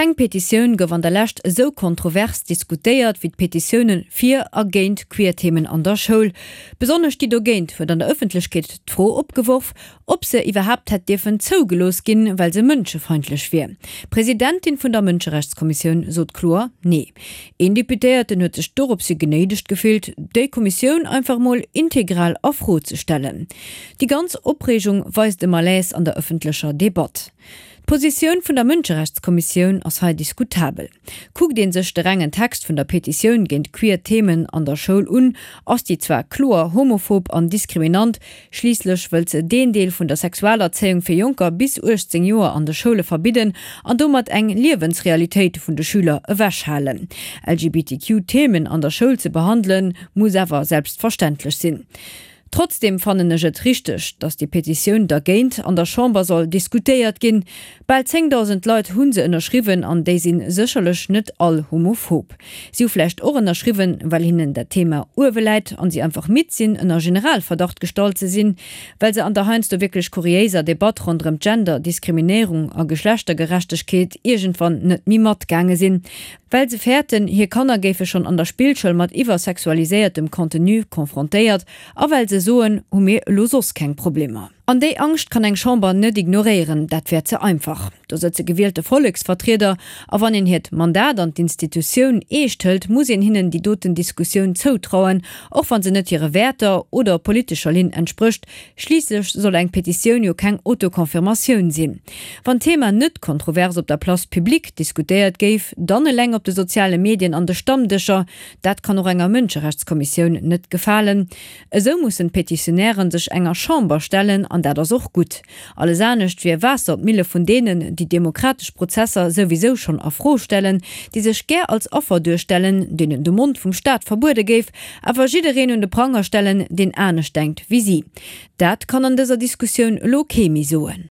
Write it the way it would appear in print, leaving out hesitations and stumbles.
Keng Petitioun gouf an der Lescht esou kontrovers diskutéiert wéi d'Petitioune fir a géint Queer-Themen an der Schoul. Besonnesch déi dogéint huet an der Ëffentlechkeet d'Fro opgeworf, ob se iwwerhaapt hätt dierfen zougelooss ginn, well se mënschefeindlech wier. D'Presidentin vun der Mënscherechtskommissioun sot kloer Nee. Een Deputéierten huet sech doropshi genéidegt gefillt, déi Kommissioun einfach mol integral a Fro ze stellen. Déi ganz Opreegung weist e Malaise an der ëffentlecher Debatt. D'Positioun vun der Mënscherechtskommissioun ass hei diskutabel. Kuckt ee sech de rengen Text vun der Petitioun géint queer Themen an der Schoul un, ass déi zwar kloer homophob an diskriminant, schliisslech wëllt se deen Deel vun der Sexualerzéiung fir Jonker bis 18 Joer an de Schoule verbidden an domat eng Liewensrealitéit vun de Schüler ewechhalen. LGBTQ-Themen an der Schoul ze behandelen, muss awer selbstverständlech sinn. Trotzdem fannen ech et richteg, datt déi Petitioun dergéint an der Chamber soll diskutéiert ginn. Bal 10.000 Leit hu se ënnerschriwwen an déi si sécherlech net all homophob. Si hu vläicht och ënnerschriwwen, well hinnen dat Thema uewe läit an si einfach midd sinn, ënner Generalverdacht gestallt ze sinn, well se an der heiansdo wierklech kuriéiser Debatt ronderëm Gender, Diskriminéierung a Geschlechtergerechtegkeet iergendwann net méi matgaange sinn, Well se fäerten, hir Kanner géife schonn an der Spillschoul mat iwwersexualiséiertem Contenu confrontéiert a well se soen, hu mir elo soss keng Problemer. An déi Angscht kann eng Chamber net ignoréieren, dat wär ze einfach. Do sëtze gewielte Volleksvertrieder a wann een hiert Mandat an d'Institutioun eescht hëlt, muss een hinnen déi doten Diskussioun zoutrauen, och wa se net hire Wäerter oder politescher Linn entsprécht. Schliisslech soll eng Petitioun jo keng Autoconfirmatioun sinn. Wann d'Thema net kontrovers op der Place publique diskutéiert géif, dann eleng op de soziale Medien an de Stammdëscher. Dat kann och enger Mënscherechtskommissioun net gefalen. Esou mussen d'Petitionären sech enger Chamber stellen, an dat ass och gutt. Alles anescht wier Waasser op d'Mille vun deenen, déi demokratesch Prozesser souwisou schonn a Fro stellen, déi sech gär als Affer duerstellen, deenen de Mond vum Staat verbuede géif, awer jiddereen un de Pranger stellen, deen anescht denkt wéi si. Dat kann an dëser Diskussioun elo kee méi soen.